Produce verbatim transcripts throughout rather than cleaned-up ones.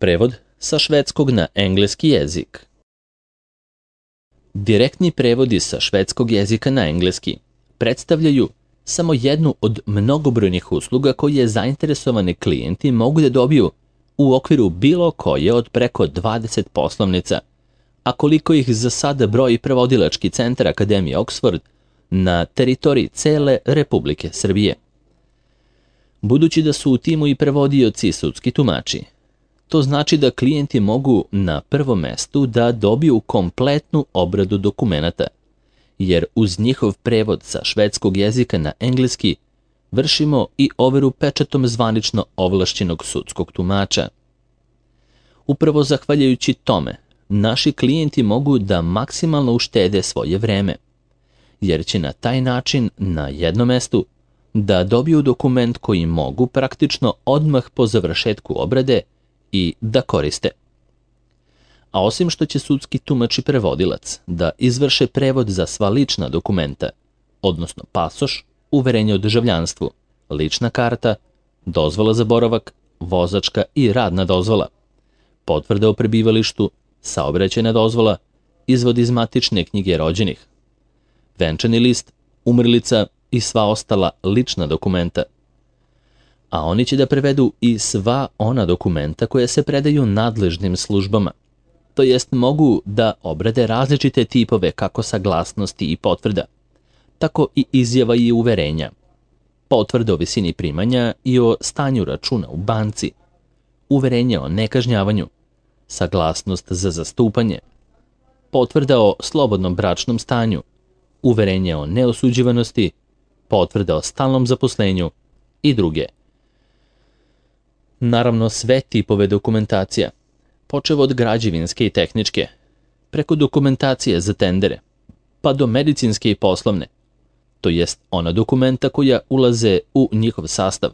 Prevod sa švedskog na engleski jezik. Direktni prevodi sa švedskog jezika na engleski predstavljaju samo jednu od mnogobrojnih usluga koje zainteresovani klijenti mogu da dobiju u okviru bilo koje od preko dvadeset poslovnica, a koliko ih za sada broji prevodilački centar Akademije Oxford na teritoriji cele Republike Srbije. Budući da su u timu i prevodioci i sudski tumači, to znači da klijenti mogu na prvom mestu da dobiju kompletnu obradu dokumenata, jer uz njihov prevod sa švedskog jezika na engleski vršimo i overu pečatom zvanično ovlašćenog sudskog tumača. Upravo zahvaljujući tome, naši klijenti mogu da maksimalno uštede svoje vreme, jer će na taj način na jednom mestu da dobiju dokument koji mogu praktično odmah po završetku obrade i da koriste. A osim što će sudski tumač i prevodilac da izvrše prevod za sva lična dokumenta, odnosno pasoš, uverenje o državljanstvu, lična karta, dozvola za boravak, vozačka i radna dozvola, potvrda o prebivalištu, saobraćajna dozvola, izvod iz matične knjige rođenih, venčani list, umrlica i sva ostala lična dokumenta. A oni će da prevedu i sva ona dokumenta koja se predaju nadležnim službama, to jest mogu da obrade različite tipove kako saglasnosti i potvrda, tako i izjava i uverenja, potvrde o visini primanja i o stanju računa u banci, uverenje o nekažnjavanju, saglasnost za zastupanje, potvrda o slobodnom bračnom stanju, uverenje o neosuđivanosti, potvrda o stalnom zaposlenju i druge. Naravno, sve tipove dokumentacija, počev od građevinske i tehničke, preko dokumentacije za tendere, pa do medicinske i poslovne, to jest ona dokumenta koja ulaze u njihov sastav,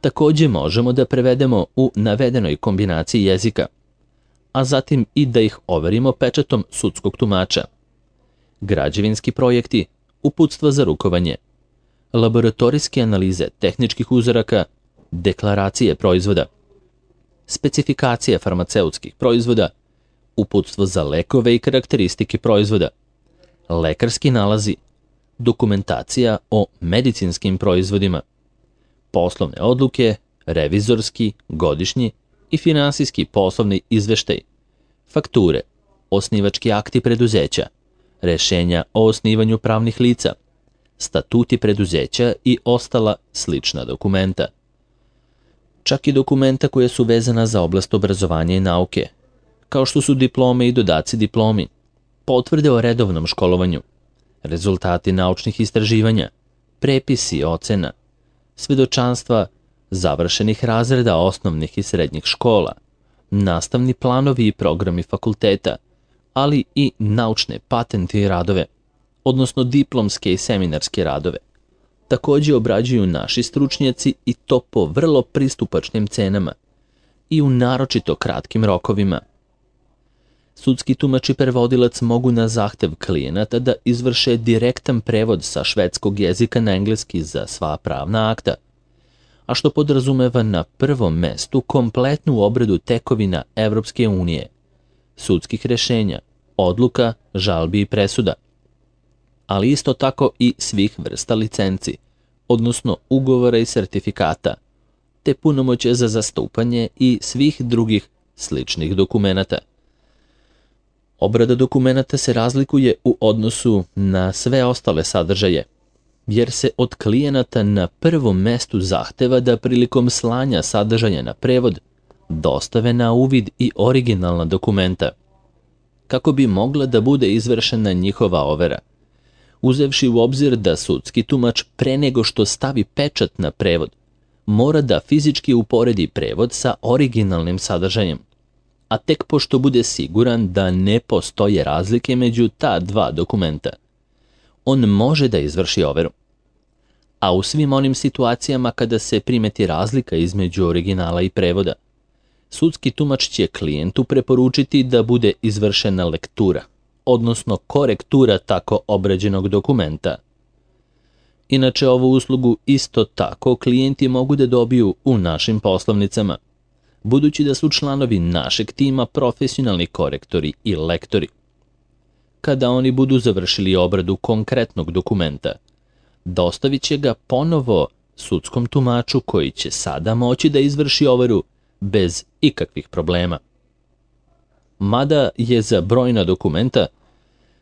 takođe možemo da prevedemo u navedenoj kombinaciji jezika, a zatim i da ih overimo pečatom sudskog tumača. Građevinski projekti, uputstva za rukovanje, laboratorijske analize tehničkih uzoraka, deklaracije proizvoda, specifikacije farmaceutskih proizvoda, uputstvo za lekove i karakteristike proizvoda, lekarski nalazi, dokumentacija o medicinskim proizvodima, poslovne odluke, revizorski, godišnji i finansijski poslovni izveštaj, fakture, osnivački akti preduzeća, rešenja o osnivanju pravnih lica, statuti preduzeća i ostala slična dokumenta. Čak i dokumenta koja su vezana za oblast obrazovanja i nauke, kao što su diplome i dodaci diplomi, potvrde o redovnom školovanju, rezultati naučnih istraživanja, prepisi ocena, svedočanstva završenih razreda osnovnih i srednjih škola, nastavni planovi i programi fakulteta, ali i naučne patente i radove, odnosno diplomske i seminarske radove. Takođe obrađuju naši stručnjaci i to po vrlo pristupačnim cenama i u naročito kratkim rokovima. Sudski tumač i prevodilac mogu na zahtev klijenata da izvrše direktan prevod sa švedskog jezika na engleski za sva pravna akta, a što podrazumeva na prvom mestu kompletnu obradu tekovina Evropske unije, sudskih rešenja, odluka, žalbi i presuda, ali isto tako i svih vrsta licenci, odnosno ugovora i sertifikata, te punomoće za zastupanje i svih drugih sličnih dokumenata. Obrada dokumenata se razlikuje u odnosu na sve ostale sadržaje, jer se od klijenata na prvom mestu zahteva da prilikom slanja sadržaja na prevod dostave na uvid i originalna dokumenta, kako bi mogla da bude izvršena njihova overa, uzevši u obzir da sudski tumač pre nego što stavi pečat na prevod, mora da fizički uporedi prevod sa originalnim sadržajem, a tek pošto bude siguran da ne postoje razlike među ta dva dokumenta, on može da izvrši overu. A u svim onim situacijama kada se primeti razlika između originala i prevoda, sudski tumač će klijentu preporučiti da bude izvršena lektura, odnosno korektura tako obrađenog dokumenta. Inače, ovu uslugu isto tako klijenti mogu da dobiju u našim poslovnicama, budući da su članovi našeg tima profesionalni korektori i lektori. Kada oni budu završili obradu konkretnog dokumenta, dostavit će ga ponovo sudskom tumaču koji će sada moći da izvrši overu bez ikakvih problema. Mada je za brojna dokumenta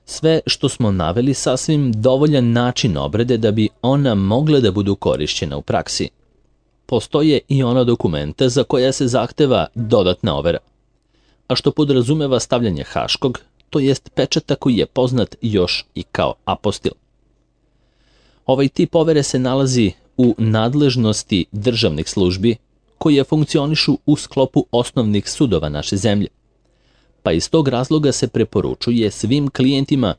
sve što smo naveli sasvim dovoljan način obrade da bi ona mogla da budu korišćena u praksi. Postoje i ona dokumenta za koja se zahteva dodatna overa, a što podrazumeva stavljanje haškog, to jest pečata koji je poznat još i kao apostil. Ovaj tip overe se nalazi u nadležnosti državnih službi koje funkcionišu u sklopu osnovnih sudova naše zemlje, pa iz tog razloga se preporučuje svim klijentima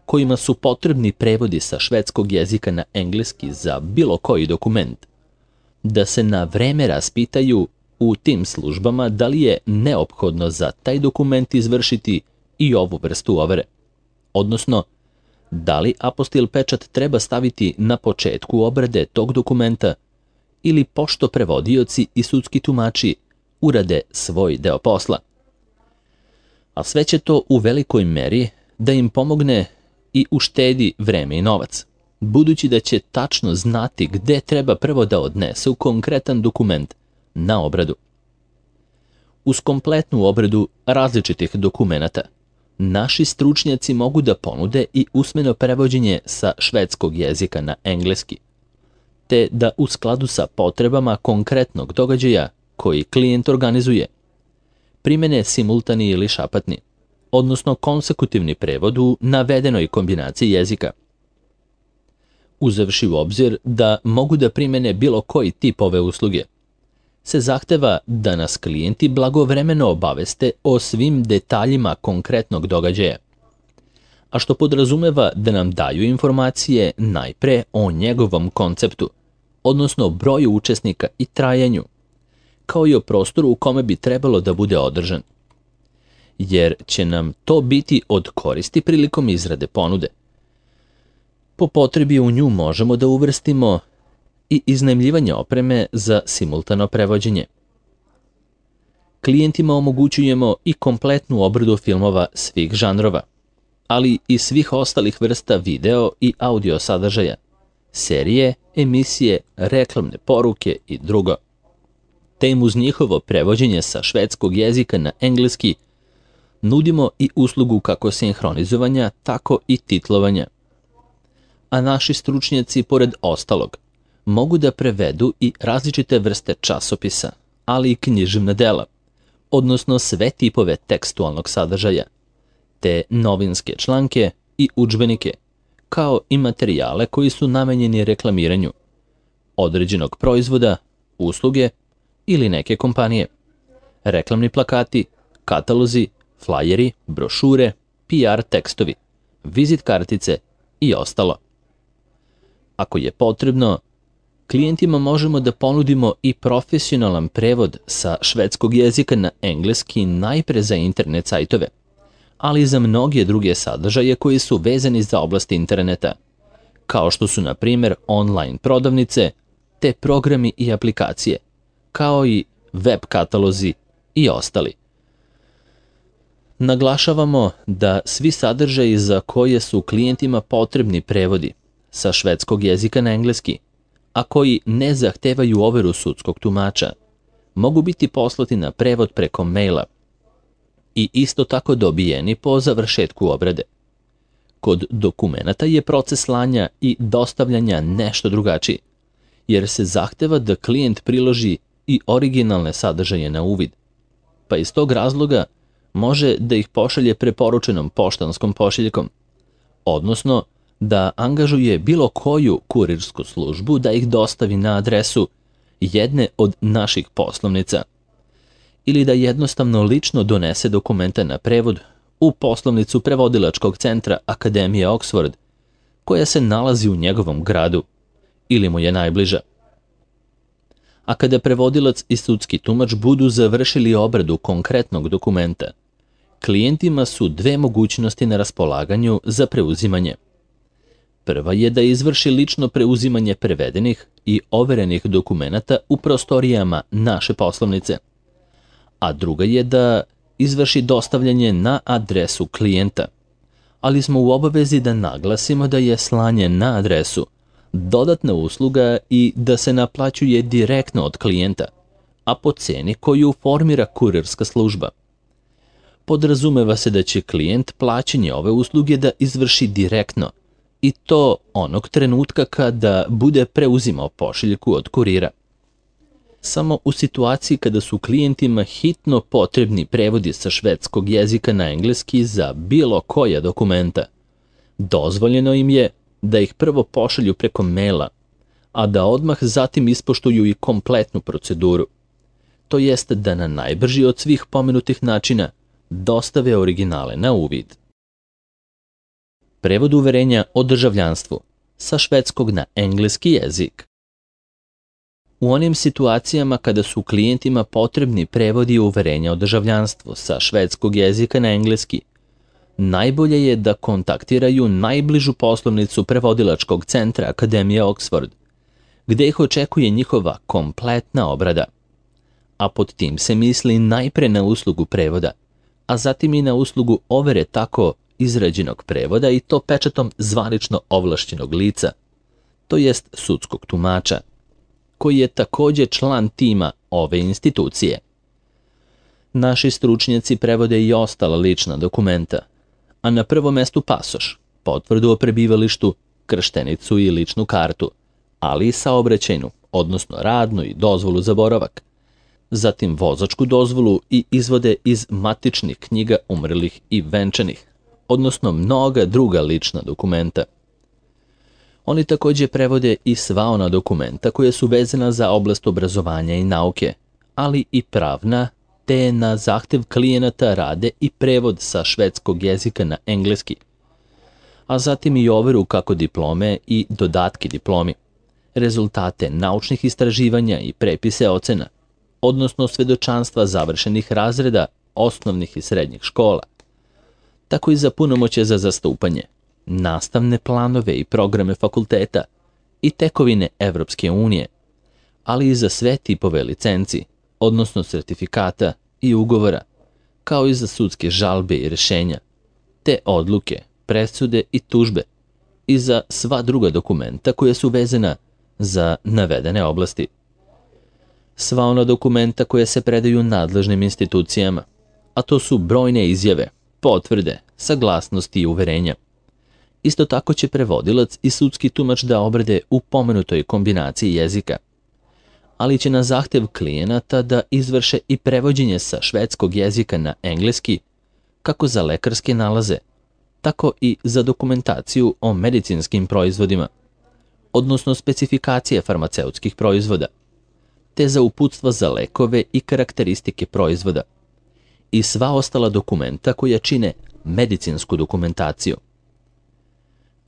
kojima su potrebni prevodi sa švedskog jezika na engleski za bilo koji dokument, da se na vreme raspitaju u tim službama da li je neophodno za taj dokument izvršiti i ovu vrstu overe, odnosno da li apostil pečat treba staviti na početku obrade tog dokumenta ili pošto prevodioci i sudski tumači urade svoj deo posla. A sve će to u velikoj meri da im pomogne i uštedi vreme i novac, budući da će tačno znati gde treba prvo da odnesu konkretan dokument na obradu. Uz kompletnu obradu različitih dokumenata, naši stručnjaci mogu da ponude i usmeno prevođenje sa švedskog jezika na engleski, te da u skladu sa potrebama konkretnog događaja koji klijent organizuje, primene simultani ili šapatni, odnosno konsekutivni prevod u navedenoj kombinaciji jezika. Uzevši u obzir da mogu da primene bilo koji tip ove usluge, se zahteva da nas klijenti blagovremeno obaveste o svim detaljima konkretnog događaja, a što podrazumeva da nam daju informacije najpre o njegovom konceptu, odnosno broju učesnika i trajanju, kao i o prostoru u kome bi trebalo da bude održan, jer će nam to biti od koristi prilikom izrade ponude. Po potrebi u nju možemo da uvrstimo i iznajmljivanje opreme za simultano prevođenje. Klijentima omogućujemo i kompletnu obradu filmova svih žanrova, ali i svih ostalih vrsta video i audio sadržaja, serije, emisije, reklamne poruke i drugo. Te im uz njihovo prevođenje sa švedskog jezika na engleski nudimo i uslugu kako sinhronizovanja, tako i titlovanja. A naši stručnjaci, pored ostalog, mogu da prevedu i različite vrste časopisa, ali i književna dela, odnosno sve tipove tekstualnog sadržaja, te novinske članke i udžbenike, kao i materijale koji su namenjeni reklamiranju određenog proizvoda, usluge ili neke kompanije, reklamni plakati, katalozi, flajeri, brošure, P R tekstovi, vizit kartice i ostalo. Ako je potrebno, klijentima možemo da ponudimo i profesionalan prevod sa švedskog jezika na engleski najpre za internet sajtove, ali i za mnoge druge sadržaje koji su vezani za oblast interneta, kao što su na primjer online prodavnice, te programi i aplikacije, kao i web katalozi i ostali. Naglašavamo da svi sadržaji za koje su klijentima potrebni prevodi sa švedskog jezika na engleski, a koji ne zahtevaju overu sudskog tumača, mogu biti poslati na prevod preko maila i isto tako dobijeni po završetku obrade. Kod dokumenata je proces slanja i dostavljanja nešto drugačiji, jer se zahteva da klijent priloži i originalne sadržaje na uvid, pa iz tog razloga može da ih pošalje preporučenom poštanskom pošiljkom, odnosno da angažuje bilo koju kurirsku službu da ih dostavi na adresu jedne od naših poslovnica ili da jednostavno lično donese dokumenta na prevod u poslovnicu prevodilačkog centra Akademije Oxford, koja se nalazi u njegovom gradu ili mu je najbliža. A kada prevodilac i sudski tumač budu završili obradu konkretnog dokumenta, klijentima su dve mogućnosti na raspolaganju za preuzimanje. Prva je da izvrši lično preuzimanje prevedenih i overenih dokumenata u prostorijama naše poslovnice, a druga je da izvrši dostavljanje na adresu klijenta. Ali smo u obavezi da naglasimo da je slanje na adresu dodatna usluga i da se naplaćuje direktno od klijenta, a po ceni koju formira kurirska služba. Podrazumeva se da će klijent plaćanje ove usluge da izvrši direktno, i to onog trenutka kada bude preuzimao pošiljku od kurira. Samo u situaciji kada su klijentima hitno potrebni prevodi sa švedskog jezika na engleski za bilo koja dokumenta, dozvoljeno im je da ih prvo pošalju preko maila, a da odmah zatim ispoštuju i kompletnu proceduru. To jest da na najbrži od svih pomenutih načina dostave originale na uvid. Prevod uverenja o državljanstvu sa švedskog na engleski jezik. U onim situacijama kada su klijentima potrebni prevodi uverenja o državljanstvu sa švedskog jezika na engleski, najbolje je da kontaktiraju najbližu poslovnicu prevodilačkog centra Akademije Oxford, gde ih očekuje njihova kompletna obrada. A pod tim se misli najpre na uslugu prevoda, a zatim i na uslugu overe tako izrađenog prevoda i to pečatom zvanično ovlašćenog lica, to jest sudskog tumača, koji je takođe član tima ove institucije. Naši stručnjaci prevode i ostala lična dokumenta, a na prvom mestu pasoš, potvrdu o prebivalištu, krštenicu i ličnu kartu, ali i saobraćajnu, odnosno radnu i dozvolu za boravak, zatim vozačku dozvolu i izvode iz matičnih knjiga umrlih i venčanih, odnosno mnoga druga lična dokumenta. Oni takođe prevode i sva ona dokumenta koja su vezana za oblast obrazovanja i nauke, ali i pravna, te na zahtev klijenata rade i prevod sa švedskog jezika na engleski, a zatim i overu kako diplome i dodatke diplomi, rezultate naučnih istraživanja i prepise ocena, odnosno svedočanstva završenih razreda osnovnih i srednjih škola, tako i za punomoćje za zastupanje, nastavne planove i programe fakulteta i tekovine Evropske unije, ali i za sve tipove licenci, odnosno sertifikata i ugovora, kao i za sudske žalbe i rešenja, te odluke, presude i tužbe i za sva druga dokumenta koja su vezana za navedene oblasti. Sva ona dokumenta koja se predaju nadležnim institucijama, a to su brojne izjave, potvrde, saglasnosti i uverenja. Isto tako će prevodilac i sudski tumač da obrade u pomenutoj kombinaciji jezika, ali će na zahtev klijenata da izvrše i prevođenje sa švedskog jezika na engleski, kako za lekarske nalaze, tako i za dokumentaciju o medicinskim proizvodima, odnosno specifikacije farmaceutskih proizvoda, te za uputstva za lekove i karakteristike proizvoda, i sva ostala dokumenta koja čine medicinsku dokumentaciju.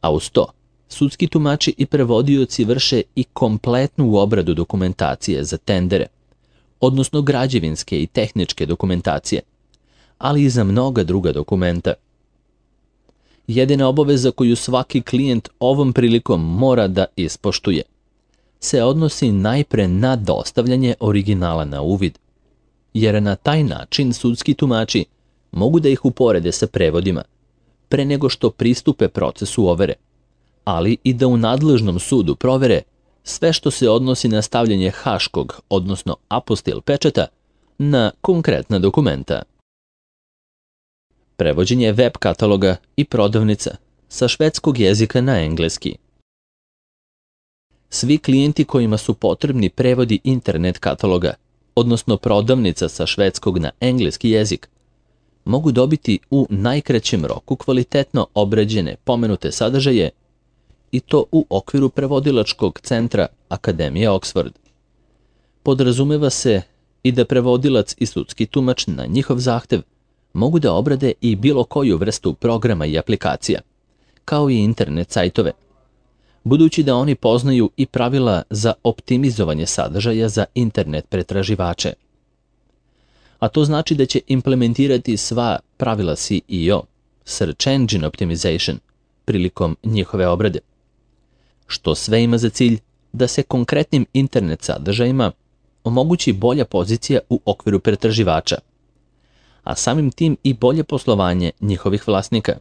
A uz to, sudski tumači i prevodioci vrše i kompletnu obradu dokumentacije za tendere, odnosno građevinske i tehničke dokumentacije, ali i za mnoga druga dokumenta. Jedina obaveza koju svaki klijent ovom prilikom mora da ispoštuje se odnosi najpre na dostavljanje originala na uvid, jer na taj način sudski tumači mogu da ih uporede sa prevodima, pre nego što pristupe procesu overe, ali i da u nadležnom sudu provere sve što se odnosi na stavljanje haškog, odnosno apostil pečata, na konkretna dokumenta. Prevođenje web kataloga i prodavnica sa švedskog jezika na engleski. Svi klijenti kojima su potrebni prevodi internet kataloga, odnosno prodavnica sa švedskog na engleski jezik, mogu dobiti u najkraćem roku kvalitetno obrađene pomenute sadržaje, i to u okviru prevodilačkog centra Akademije Oxford. Podrazumeva se i da prevodilac i sudski tumač na njihov zahtev mogu da obrade i bilo koju vrstu programa i aplikacija, kao i internet sajtove, budući da oni poznaju i pravila za optimizovanje sadržaja za internet pretraživače. A to znači da će implementirati sva pravila S E O, Search Engine Optimization, prilikom njihove obrade, što sve ima za cilj da se konkretnim internet sadržajima, omogući bolja pozicija u okviru pretraživača, a samim tim i bolje poslovanje njihovih vlasnika.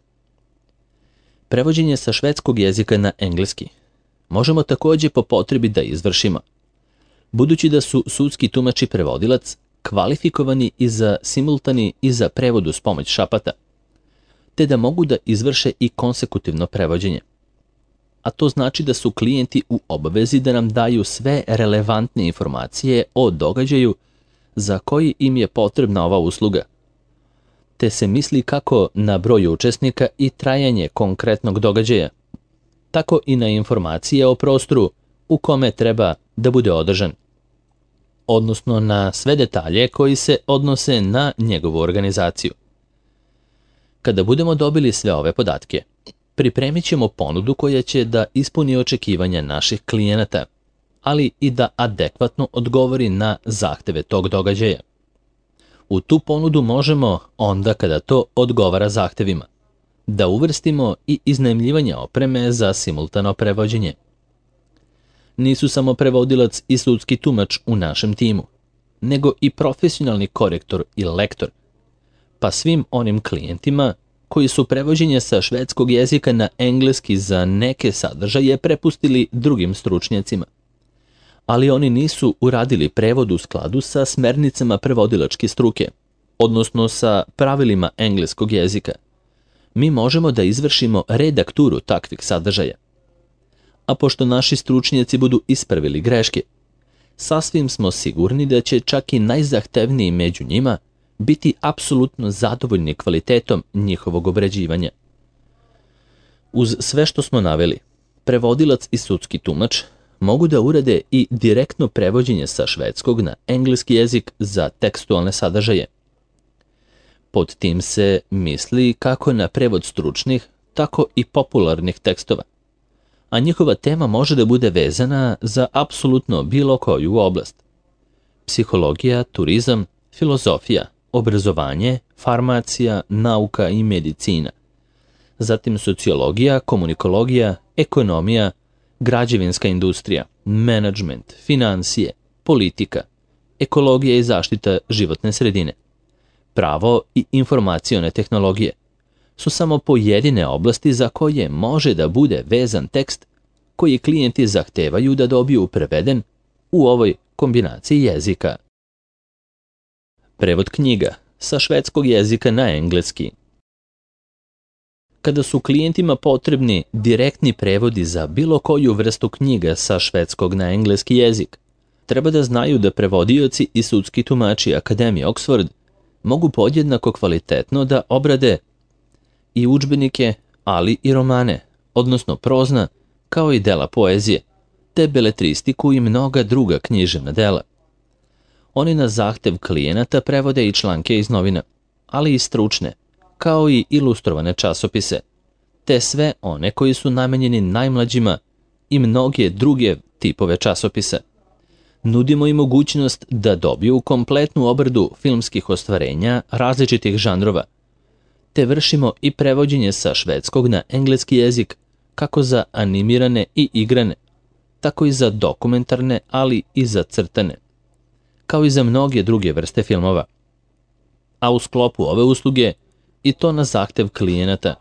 Prevođenje sa švedskog jezika na engleski možemo također po potrebi da izvršimo, budući da su sudski tumač i prevodilac kvalifikovani i za simultani i za prevod uz pomoć šapata, te da mogu da izvrše i konsekutivno prevođenje. A to znači da su klijenti u obavezi da nam daju sve relevantne informacije o događaju za koji im je potrebna ova usluga, te se misli kako na broj učesnika i trajanje konkretnog događaja, tako i na informacije o prostoru u kome treba da bude održan, odnosno na sve detalje koji se odnose na njegovu organizaciju. Kada budemo dobili sve ove podatke, pripremit ćemo ponudu koja će da ispuni očekivanja naših klijenata, ali i da adekvatno odgovori na zahteve tog događaja. U tu ponudu možemo, onda kada to odgovara zahtevima, da uvrstimo i iznajmljivanje opreme za simultano prevođenje. Nisu samo prevodilac i sudski tumač u našem timu, nego i profesionalni korektor i lektor, pa svim onim klijentima koji su prevođenje sa švedskog jezika na engleski za neke sadržaje prepustili drugim stručnjacima, ali oni nisu uradili prevod u skladu sa smernicama prevodilačke struke, odnosno sa pravilima engleskog jezika. Mi možemo da izvršimo redakturu takvih sadržaja. A pošto naši stručnjaci budu ispravili greške, sasvim smo sigurni da će čak i najzahtevniji među njima biti apsolutno zadovoljni kvalitetom njihovog obrađivanja. Uz sve što smo naveli, prevodilac i sudski tumač mogu da urade i direktno prevođenje sa švedskog na engleski jezik za tekstualne sadržaje. Pod tim se misli kako na prevod stručnih, tako i popularnih tekstova, a njihova tema može da bude vezana za apsolutno bilo koju oblast. Psihologija, turizam, filozofija, obrazovanje, farmacija, nauka i medicina. Zatim sociologija, komunikologija, ekonomija, građevinska industrija, menadžment, financije, politika, ekologija i zaštita životne sredine, pravo i informacione tehnologije su samo pojedine oblasti za koje može da bude vezan tekst koji klijenti zahtevaju da dobiju preveden u ovoj kombinaciji jezika. Prevod knjiga sa švedskog jezika na engleski. Kada su klijentima potrebni direktni prevodi za bilo koju vrstu knjiga sa švedskog na engleski jezik, treba da znaju da prevodioci i sudski tumači Akademije Oxford mogu podjednako kvalitetno da obrade i udžbenike, ali i romane, odnosno prozna, kao i dela poezije, te beletristiku i mnoga druga književna dela. Oni na zahtev klijenata prevode i članke iz novina, ali i stručne, kao i ilustrovane časopise, te sve one koji su namenjeni najmlađima i mnoge druge tipove časopisa. Nudimo im mogućnost da dobiju kompletnu obradu filmskih ostvarenja različitih žanrova, te vršimo i prevođenje sa švedskog na engleski jezik kako za animirane i igrane, tako i za dokumentarne, ali i za crtane, kao i za mnoge druge vrste filmova. A u sklopu ove usluge, i to na zahtev klijenata,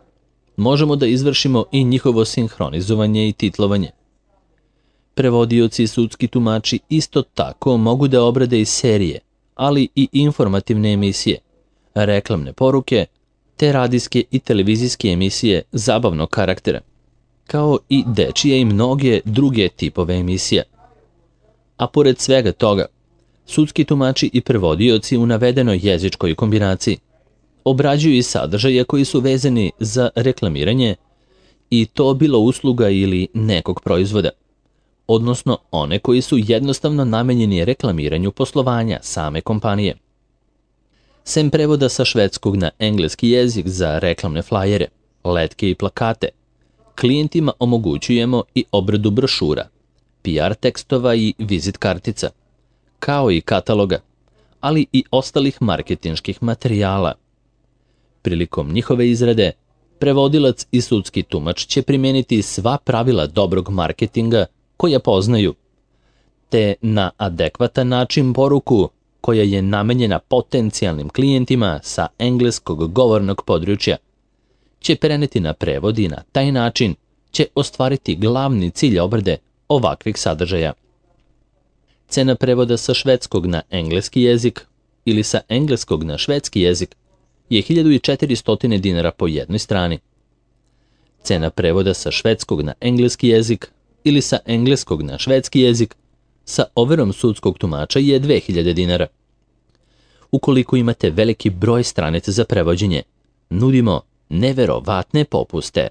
možemo da izvršimo i njihovo sinhronizovanje i titlovanje. Prevodioci i sudski tumači isto tako mogu da obrade i serije, ali i informativne emisije, reklamne poruke, te radijske i televizijske emisije zabavnog karaktera, kao i dečije i mnoge druge tipove emisija. A pored svega toga, sudski tumači i prevodioci u navedenoj jezičkoj kombinaciji obrađuju i sadržaje koji su vezani za reklamiranje, i to bilo usluga ili nekog proizvoda, odnosno one koji su jednostavno namenjeni reklamiranju poslovanja same kompanije. Sem prevoda sa švedskog na engleski jezik za reklamne flajere, letke i plakate, klijentima omogućujemo i obradu brošura, P R tekstova i vizit kartica, kao i kataloga, ali i ostalih marketinških materijala. Prilikom njihove izrade, prevodilac i sudski tumač će primijeniti sva pravila dobrog marketinga koja poznaju, te na adekvatan način poruku koja je namenjena potencijalnim klijentima sa engleskog govornog područja, će preneti na prevod i na taj način će ostvariti glavni cilj obrade ovakvih sadržaja. Cena prevoda sa švedskog na engleski jezik ili sa engleskog na švedski jezik je hiljadu četiristo dinara po jednoj strani. Cena prevoda sa švedskog na engleski jezik ili sa engleskog na švedski jezik sa overom sudskog tumača je dve hiljade dinara. Ukoliko imate veliki broj stranica za prevođenje, nudimo neverovatne popuste.